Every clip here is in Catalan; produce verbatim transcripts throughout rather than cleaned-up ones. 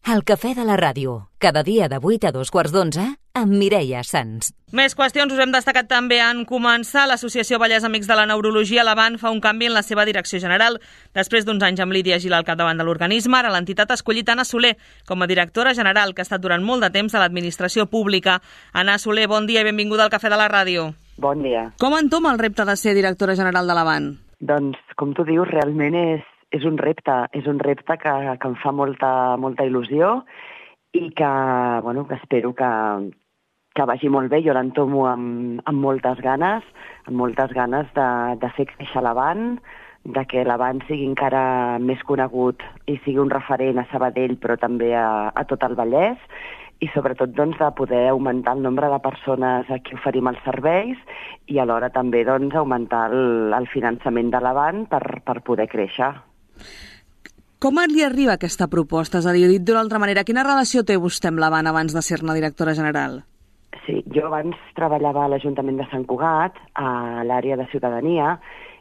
El cafè de la ràdio, cada dia de vuit a dos quarts d'onze, amb Mireia Sans. Més qüestions us hem destacat també en començar. L'Associació Vallès Amics de la Neurologia, l'Avant, fa un canvi en la seva direcció general. Després d'uns anys amb Lídia Gil al capdavant de l'organisme, ara l'entitat ha escollit Anna Soler com a directora general, que ha estat durant molt de temps a l'administració pública. Anna Soler, bon dia i benvinguda al Cafè de la Ràdio. Bon dia. Com entoma el repte de ser directora general de l'Avant? Doncs, com tu dius, realment és És un repte, és un repte que, que em fa molta, molta il·lusió i que, bueno, que espero que, que vagi molt bé. Jo l'entomo amb, amb moltes ganes, amb moltes ganes de, de fer créixer l'Avant, de que l'Avant sigui encara més conegut i sigui un referent a Sabadell, però també a, a tot el Vallès, i sobretot doncs, de poder augmentar el nombre de persones a qui oferim els serveis i alhora també doncs, augmentar el, el finançament de l'Avant per, per poder créixer. Com li arriba aquesta proposta? És a dir, dit d'una altra manera, quina relació té vostè amb l'Avant abans de ser-ne directora general? Sí, jo abans treballava a l'Ajuntament de Sant Cugat, a l'àrea de ciutadania,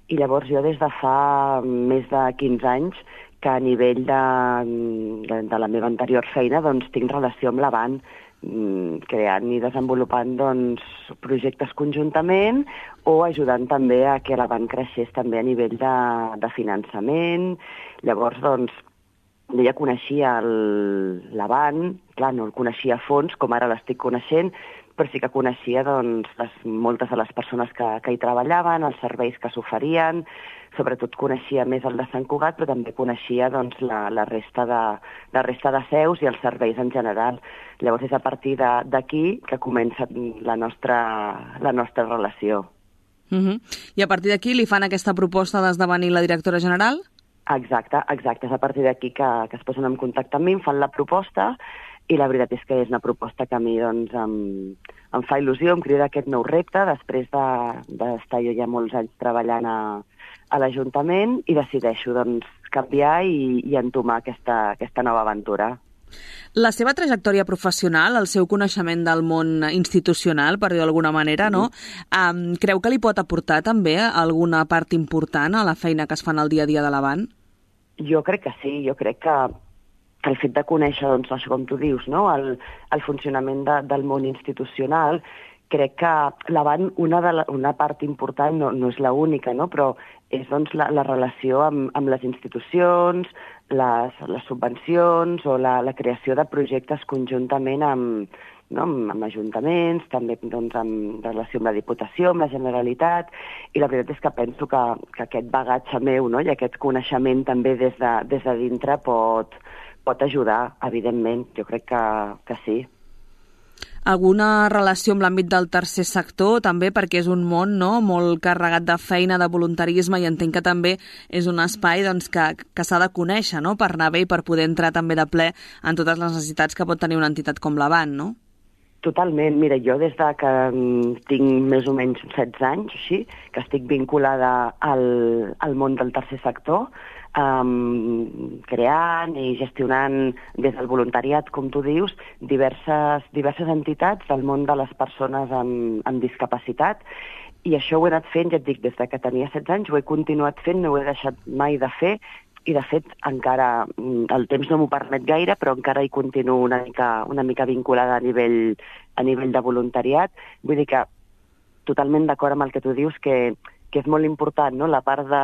i llavors jo des de fa més de quinze anys que a nivell de, de, de la meva anterior feina doncs, tinc relació amb l'Avant, creant i desenvolupant doncs, projectes conjuntament o ajudant també a que l'Avant creixés també a nivell de, de finançament. Llavors, doncs, jo ja coneixia l'Avant, clar, no el coneixia a fons, com ara l'estic coneixent, però sí que coneixia doncs, les, moltes de les persones que, que hi treballaven, els serveis que s'oferien, sobretot coneixia més el de Sant Cugat, però també coneixia doncs, la, la, resta de, la resta de seus i els serveis en general. Llavors és a partir d'aquí que comença la nostra, la nostra relació. Uh-huh. I a partir d'aquí li fan aquesta proposta d'esdevenir la directora general? Exacte, exacte. És a partir d'aquí que, que es posen en contacte amb mi, em fan la proposta, i la veritat és que és una proposta que a mi doncs, em, em fa il·lusió, em crida aquest nou repte, després d'estar de, jo ja molts anys treballant a, a l'Ajuntament, i decideixo doncs, canviar i, i entomar aquesta, aquesta nova aventura. La seva trajectòria professional, el seu coneixement del món institucional, per dir d'alguna manera, no? Um, creu que li pot aportar també alguna part important a la feina que es fa en el dia a dia de l'Avant? Jo crec que sí, jo crec que el fet de conèixer, doncs, això com tu dius, no? el, el funcionament de, del món institucional, crec que l'Avant, una, de la, una part important, no, no és l'única, no? Però és doncs, la, la relació amb, amb les institucions, les, les subvencions o la, la creació de projectes conjuntament amb, no? amb, amb ajuntaments, també doncs, amb relació amb la Diputació, amb la Generalitat, i la veritat és que penso que, que aquest bagatge meu, no? I aquest coneixement també des de, des de dintre pot, pot ajudar, evidentment, jo crec que, que sí. Alguna relació amb l'àmbit del tercer sector, també, perquè és un món, no?, molt carregat de feina, de voluntarisme, i entenc que també és un espai doncs, que, que s'ha de conèixer, no?, per anar bé i per poder entrar també de ple en totes les necessitats que pot tenir una entitat com l'Avant, no? Totalment. Mira, jo des de que tinc més o menys setze anys, així, que estic vinculada al, al món del tercer sector, Um, creant i gestionant des del voluntariat, com tu dius, diverses, diverses entitats del món de les persones amb, amb discapacitat, i això ho he anat fent, ja et dic, des de que tenia setze anys, ho he continuat fent, no ho he deixat mai de fer, i de fet encara, el temps no m'ho permet gaire, però encara hi continuo una mica, una mica vinculada a nivell, a nivell de voluntariat. Vull dir que totalment d'acord amb el que tu dius, que que és molt important, no? La part de,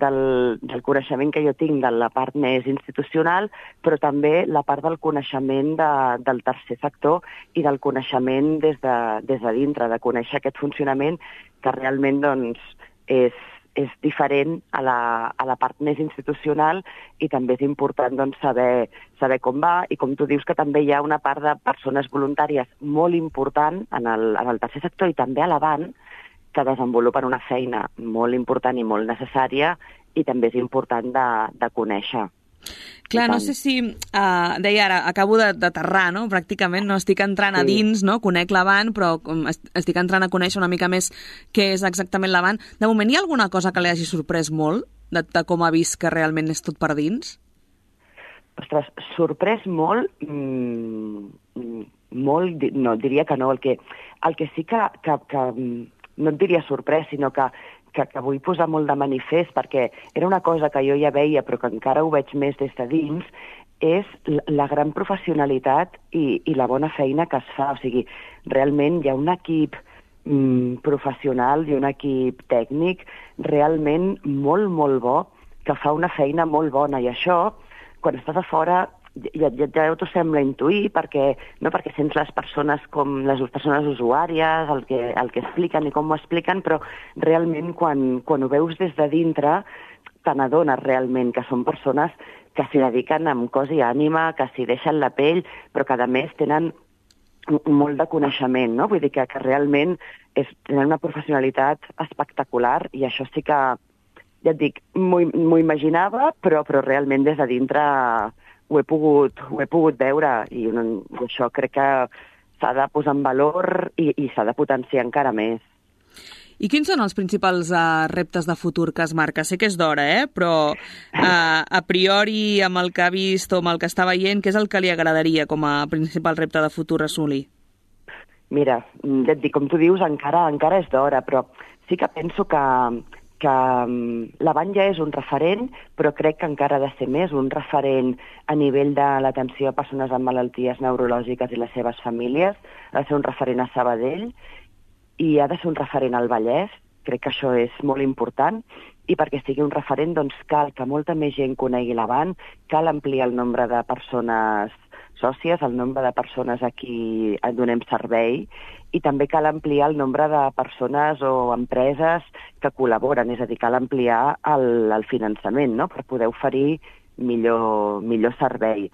del, del coneixement que jo tinc de la part més institucional, però també la part del coneixement de, del tercer sector i del coneixement des de, des de dintre, de conèixer aquest funcionament que realment doncs, és, és diferent a la, a la part més institucional, i també és important doncs, saber, saber com va, i com tu dius que també hi ha una part de persones voluntàries molt important en el, en el tercer sector i també a l'Avant, que desenvolupen una feina molt important i molt necessària, i també és important de, de conèixer. Clar, no sé si... Uh, deia ara, acabo d'aterrar, no? Pràcticament, no? Estic entrant sí. a dins, no? Conec l'Avant, però estic entrant a conèixer una mica més què és exactament l'Avant. De moment, hi ha alguna cosa que li hagi sorprès molt, de, de com ha vist que realment és tot per dins? Ostres, sorprès molt... Mmm, molt... No, diria que no. El que, el que sí que... que, que no et diria sorprès, sinó que, que, que vull posar molt de manifest, perquè era una cosa que jo ja veia, però que encara ho veig més des de dins, és la gran professionalitat i, i la bona feina que es fa. O sigui, realment hi ha un equip mm, professional i un equip tècnic realment molt, molt bo, que fa una feina molt bona, i això, quan estàs a fora, ja, ja, ja t'ho sembla intuir, perquè, no perquè sents les persones com les persones usuàries, el que, el que expliquen i com ho expliquen, però realment quan, quan ho veus des de dintre, te n'adones realment que són persones que s'hi dediquen amb cos i ànima, que s'hi deixen la pell, però que a més tenen molt de coneixement, no? Vull dir que, que realment és, tenen una professionalitat espectacular, i això sí que, ja et dic, m'ho imaginava, però, però realment des de dintre ho he pogut, ho he pogut veure, i un, això crec que s'ha de posar en valor i, i s'ha de potenciar encara més. I quins són els principals uh, reptes de futur que es marca? Sé que és d'hora, eh? Però uh, a priori, amb el que ha vist o amb el que està veient, què és el que li agradaria com a principal repte de futur assolir? Mira, ja et dic, com tu dius, encara, encara és d'hora, però sí que penso que, que l'Avant ja és un referent, però crec que encara ha de ser més un referent a nivell de l'atenció a persones amb malalties neurològiques i les seves famílies. Ha de ser un referent a Sabadell i ha de ser un referent al Vallès. Crec que això és molt important, i perquè sigui un referent doncs cal que molta més gent conegui l'Avant, cal ampliar el nombre de persones sòcies, el nombre de persones a qui donem servei, i també cal ampliar el nombre de persones o empreses que col·laboren, és a dir, cal ampliar el, el finançament, no?, per poder oferir millor, millor servei.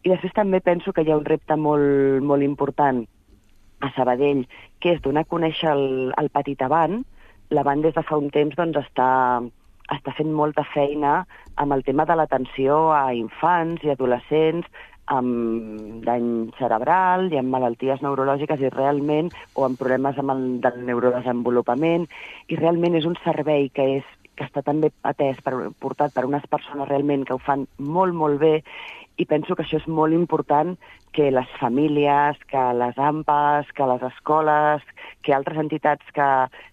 I després també penso que hi ha un repte molt, molt important a Sabadell, que és donar a conèixer el, el petit Avant. L'Avant des de fa un temps doncs, està, està fent molta feina amb el tema de l'atenció a infants i adolescents amb dany cerebral i amb malalties neurològiques i realment, o amb problemes amb el del neurodesenvolupament, i realment és un servei que, és, que està també atès, per, portat per unes persones realment que ho fan molt, molt bé, i penso que això és molt important que les famílies, que les A M P As, que les escoles, que altres entitats que,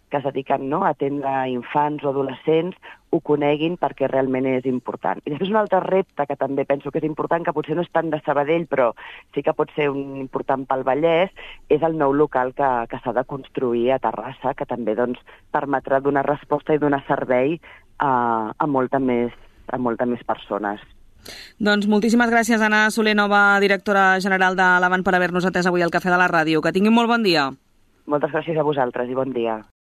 que es dediquen, no?, a atendre infants o adolescents ho coneguin, perquè realment és important. I després un altre repte que també penso que és important, que potser no és tant de Sabadell, però sí que pot ser un important pel Vallès, és el nou local que, que s'ha de construir a Terrassa, que també doncs, permetrà donar resposta i donar servei a, a, molta més, a molta més persones. Doncs moltíssimes gràcies, Anna Soler, nova directora general de l'Avant, per haver-nos atès avui al Cafè de la Ràdio. Que tinguin molt bon dia. Moltes gràcies a vosaltres i bon dia.